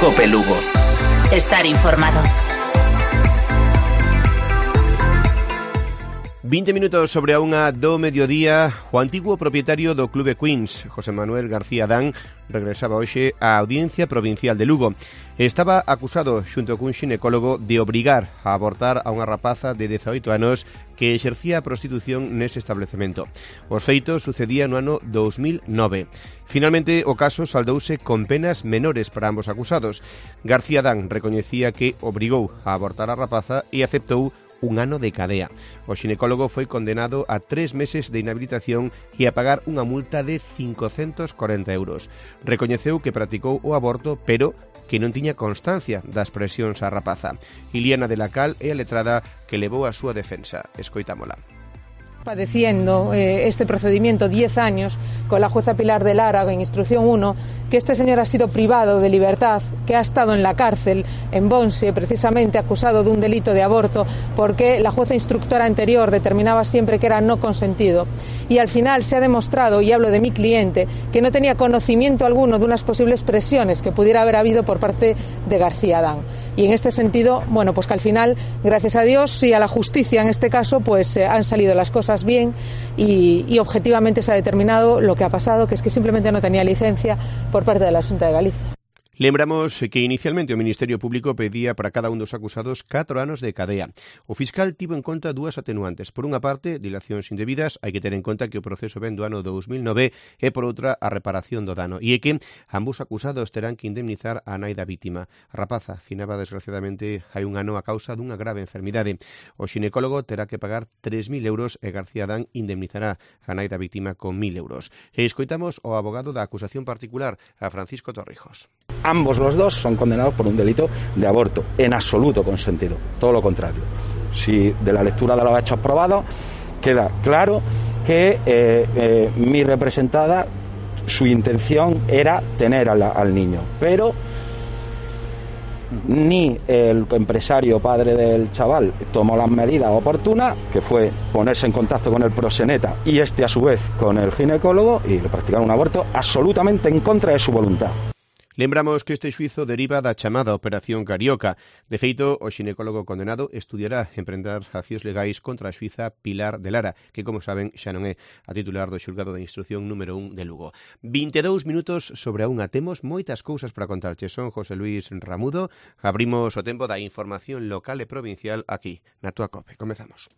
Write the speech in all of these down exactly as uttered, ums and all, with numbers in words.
Cope Lugo. Estar informado. vinte minutos sobre a unha do mediodía. O antigo propietario do Clube Queens, José Manuel García Adán, regresaba hoxe á Audiencia Provincial de Lugo. Estaba acusado, xunto cun xinecólogo, de obrigar a abortar a unha rapaza de dezaoito anos que exercía a prostitución nese establecemento. Os feitos sucedían no ano dous mil nove. Finalmente, o caso saldouse con penas menores para ambos acusados. García Adán recoñecía que obrigou a abortar a rapaza e aceptou un ano de cadea. O xinecólogo foi condenado a tres meses de inhabilitación e a pagar unha multa de cincocentos corenta euros. Recoñeceu que practicou o aborto, pero que non tiña constancia das presións á rapaza. Iliana de la Cal é a letrada que levou a súa defensa. Escoitámola. Padeciendo eh, este procedimiento diez años con la jueza Pilar de Lara en instrucción uno, que este señor ha sido privado de libertad, que ha estado en la cárcel en Bonse, precisamente acusado de un delito de aborto, porque la jueza instructora anterior determinaba siempre que era no consentido. Y al final se ha demostrado, y hablo de mi cliente, que no tenía conocimiento alguno de unas posibles presiones que pudiera haber habido por parte de García Adán. Y en este sentido, bueno, pues que al final, gracias a Dios y a la justicia en este caso, pues eh, han salido las cosas bien y, y objetivamente se ha determinado lo que ha pasado, que es que simplemente no tenía licencia por parte de la Xunta de Galicia. Lembramos que inicialmente o Ministerio Público pedía para cada un dos acusados catro anos de cadea. O fiscal tivo en conta dúas atenuantes. Por unha parte, dilacións indebidas, hai que ter en conta que o proceso ven do ano dous mil nove e por outra a reparación do dano. E é que ambos acusados terán que indemnizar a nai da vítima. A rapaza finaba desgraciadamente hai un ano a causa dunha grave enfermidade. O xinecólogo terá que pagar tres mil euros e García Adán indemnizará a nai da vítima con mil euros. E escoitamos o abogado da acusación particular, a Francisco Torrijos. Ambos los dos son condenados por un delito de aborto, en absoluto consentido, todo lo contrario. Si de la lectura de los hechos probados queda claro que eh, eh, mi representada, su intención era tener al, al niño, pero ni el empresario padre del chaval tomó las medidas oportunas, que fue ponerse en contacto con el proxeneta y este a su vez con el ginecólogo, y le practicaron un aborto absolutamente en contra de su voluntad. Lembramos que este xuizo deriva da chamada Operación Carioca. De feito, o xinecólogo condenado estudiará emprender accións legais contra a xuiza Pilar de Lara, que, como saben, xa non é a titular do xulgado de instrucción número un de Lugo. vinte e dous minutos sobre a unha. Temos moitas cousas para contarche. Son José Luis Ramudo. Abrimos o tempo da información local e provincial aquí, na túa Cope. Comezamos.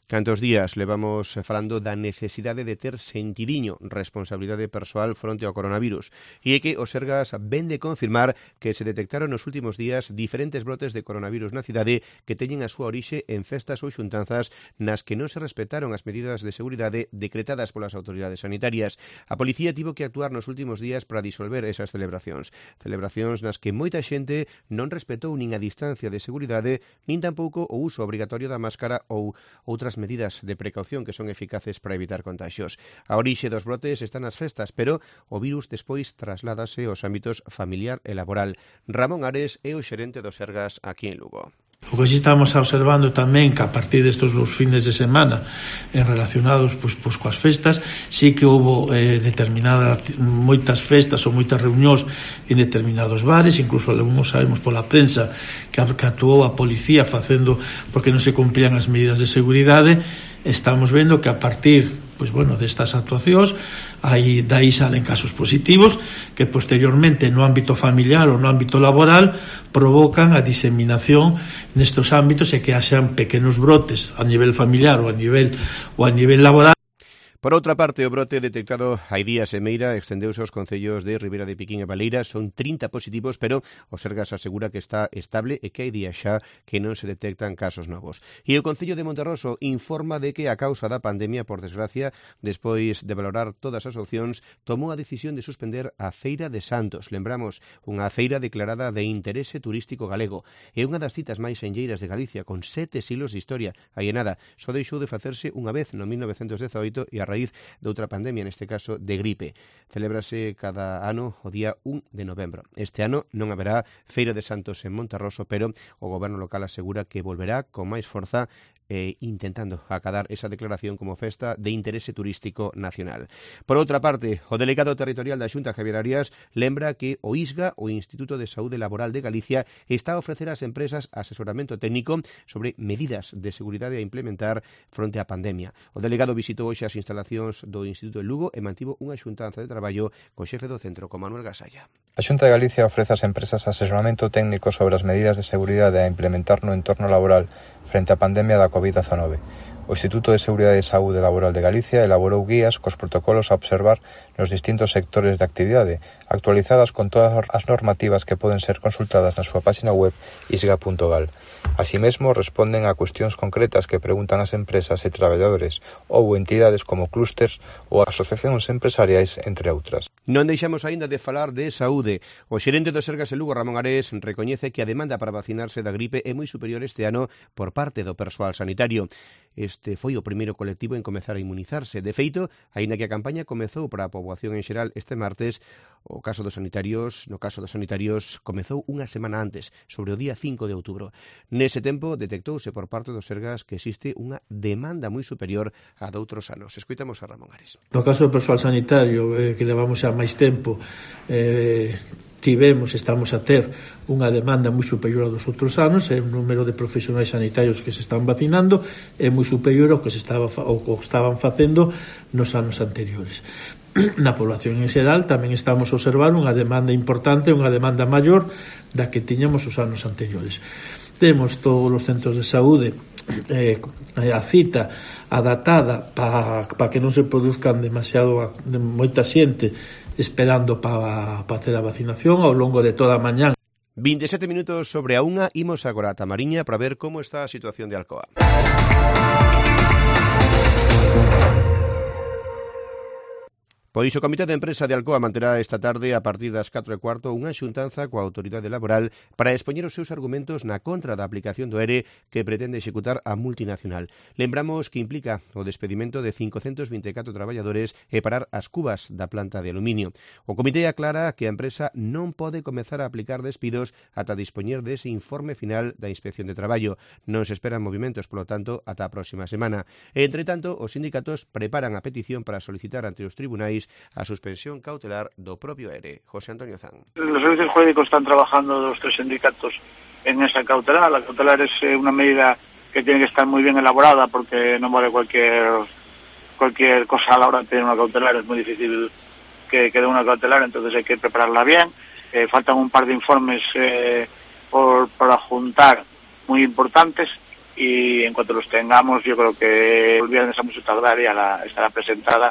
Cantos días levamos falando da necesidade de ter sentidiño responsabilidade persoal fronte ao coronavirus. E é que o Sergas ven de confirmar que se detectaron nos últimos días diferentes brotes de coronavirus na cidade que teñen a súa orixe en festas ou xuntanzas nas que non se respetaron as medidas de seguridade decretadas polas autoridades sanitarias. A policía tivo que actuar nos últimos días para disolver esas celebracións. Celebracións nas que moita xente non respetou nin a distancia de seguridade, nin tampouco o uso obrigatorio da máscara ou outras medidas de precaución que son eficaces para evitar contagios. A orixe dos brotes está nas festas, pero o virus despois trasládase aos ámbitos familiar e laboral. Ramón Ares é o xerente do Sergas aquí en Lugo. O que sí estamos observando tamén que a partir destes dos fines de semana eh, relacionados pois, pois coas festas, sí que houve eh, determinadas moitas festas ou moitas reunións en determinados bares, incluso algúns sabemos pola prensa que, que actuou a policía facendo porque non se cumplían as medidas de seguridade. Estamos vendo que a partir pois bueno, destas actuacións aí dai salen casos positivos que posteriormente no ámbito familiar ou no ámbito laboral provocan a diseminación nestes ámbitos e que haxan pequenos brotes a nivel familiar ou a nivel ou a nivel laboral. Por outra parte, o brote detectado hai días en Meira extendeuse aos concellos de Ribeira de Piquín e Baleira. Son trinta positivos, pero o Sergas asegura que está estable e que hai días xa que non se detectan casos novos. E o Concello de Monterroso informa de que a causa da pandemia, por desgracia, despois de valorar todas as opcións, tomou a decisión de suspender a Feira de Santos. Lembramos, unha feira declarada de interese turístico galego. É unha das citas máis enlleiras de Galicia, con sete siglos de historia. Aí e nada, só deixou de facerse unha vez no mil novecentos dezaoito e a raíz de outra pandemia, neste caso de gripe. Celébrase cada ano o día un de novembro. Este ano non haberá Feira de Santos en Monterroso, pero o goberno local asegura que volverá con máis forza e intentando acadar esa declaración como festa de interese turístico nacional. Por outra parte, o delegado territorial da Xunta, Javier Arias, lembra que o I S G A, o Instituto de Saúde Laboral de Galicia, está a ofrecer ás empresas asesoramento técnico sobre medidas de seguridade a implementar fronte á pandemia. O delegado visitou hoxe as instalacións do Instituto de Lugo e mantivo unha xuntanza de traballo co xefe do centro, con Manuel Gasalla. A Xunta de Galicia ofrece ás empresas asesoramento técnico sobre as medidas de seguridade a implementar no entorno laboral frente á pandemia da covid dezanove. O Instituto de Seguridade e Saúde Laboral de Galicia elaborou guías cos protocolos a observar nos distintos sectores de actividade, actualizadas con todas as normativas que poden ser consultadas na súa página web isga punto gal. Así mesmo, responden a cuestións concretas que preguntan as empresas e traballadores ou entidades como clústers ou asociacións empresariais, entre outras. Non deixamos aínda de falar de saúde. O xerente do Sergas de Lugo, Ramón Ares, recoñece que a demanda para vacinarse da gripe é moi superior este ano por parte do persoal sanitario. Este foi o primeiro colectivo en comezar a inmunizarse. De feito, aínda que a campaña comezou para a poboación en xeral este martes, o caso dos sanitarios, no caso dos sanitarios, comezou unha semana antes, sobre o día cinco de outubro. Nese tempo, detectouse por parte dos Sergas que existe unha demanda moi superior a doutros anos. Escoitamos a Ramón Ares. No caso do persoal sanitario, eh, que levamos xa máis tempo, eh, tivemos, estamos a ter unha demanda moi superior a dos outros anos, e o número de profesionais sanitarios que se están vacinando é moi superior ao que se estaba ou que estaban facendo nos anos anteriores. Na población en xeral tamén estamos a observar unha demanda importante, unha demanda maior da que tiñamos os anos anteriores. Temos todos os centros de saúde eh, a cita adaptada para pa que non se produzcan demasiado de moita xente esperando para pa ter a vacinación ao longo de toda a mañá. veinte e sete minutos sobre a unha, imos agora a Tamariña para ver como está a situación de Alcoa. Pois o Comité de Empresa de Alcoa manterá esta tarde a partir das catro e cuarto unha xuntanza coa autoridade laboral para expoñer os seus argumentos na contra da aplicación do E R E que pretende executar a multinacional. Lembramos que implica o despedimento de cincocentos vinte e catro traballadores e parar as cubas da planta de aluminio. O comité aclara que a empresa non pode comezar a aplicar despidos ata dispoñer dese informe final da Inspección de Traballo. Non se esperan movimentos, polo tanto, ata a próxima semana. E, entre tanto, os sindicatos preparan a petición para solicitar ante os tribunais a suspensión cautelar do propio E R E. José Antonio Zan. Los servicios jurídicos están trabajando los tres sindicatos en esa cautelar. La cautelar es una medida que tiene que estar muy bien elaborada porque no vale cualquier cualquier cosa a la hora de tener una cautelar. Es muy difícil que quede una cautelar, entonces hay que prepararla bien. Eh, faltan un par de informes eh, por, para juntar muy importantes y en cuanto los tengamos yo creo que el viernes a mucho tardar ya la, estará presentada.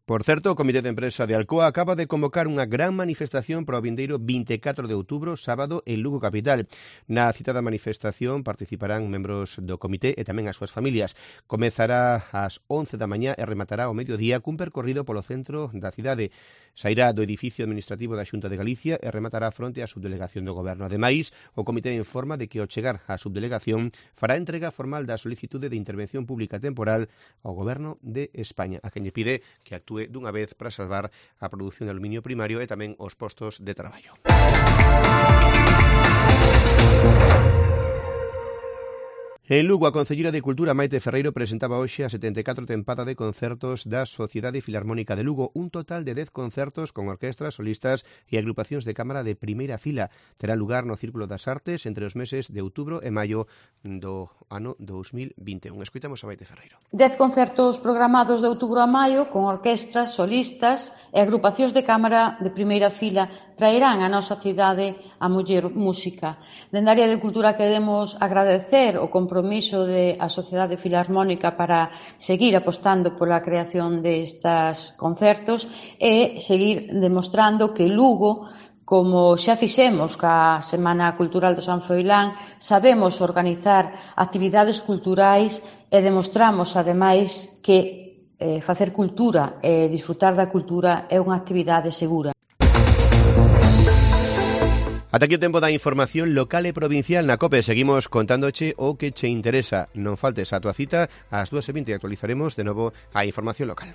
Por certo, o Comité de Empresa de Alcoa acaba de convocar unha gran manifestación para o vindeiro vinte e catro de outubro, sábado, en Lugo Capital. Na citada manifestación participarán membros do comité e tamén as súas familias. Comezará ás once da mañá e rematará ao mediodía cun percorrido polo centro da cidade. Sairá do edificio administrativo da Xunta de Galicia e rematará fronte á subdelegación do Goberno. Ademais, o comité informa de que ao chegar á subdelegación fará entrega formal da solicitude de intervención pública temporal ao Goberno de España, a quen lle pide que actúe dunha vez para salvar a produción de aluminio primario e tamén os postos de traballo. En Lugo, a Concelleira de Cultura Maite Ferreiro presentaba hoxe a setenta e catro tempada de concertos da Sociedade Filarmónica de Lugo, un total de dez concertos con orquestras, solistas e agrupacións de cámara de primeira fila. Terá lugar no Círculo das Artes entre os meses de outubro e maio do ano dous mil vinte e un. Escoitamos a Maite Ferreiro. Dez concertos programados de outubro a maio con orquestras, solistas e agrupacións de cámara de primeira fila traerán a nosa cidade a muller música. Dende a área de cultura queremos agradecer o compromiso da Sociedade Filarmónica para seguir apostando pola creación destas concertos e seguir demostrando que Lugo, como xa fixemos ca Semana Cultural do San Froilán, sabemos organizar actividades culturais e demostramos, ademais, que eh, facer cultura e disfrutar da cultura é unha actividade segura. Ata aquí o tempo da información local e provincial na COPE. Seguimos contándoche o que che interesa. Non faltes a tua cita, ás dúas e vinte actualizaremos de novo a información local.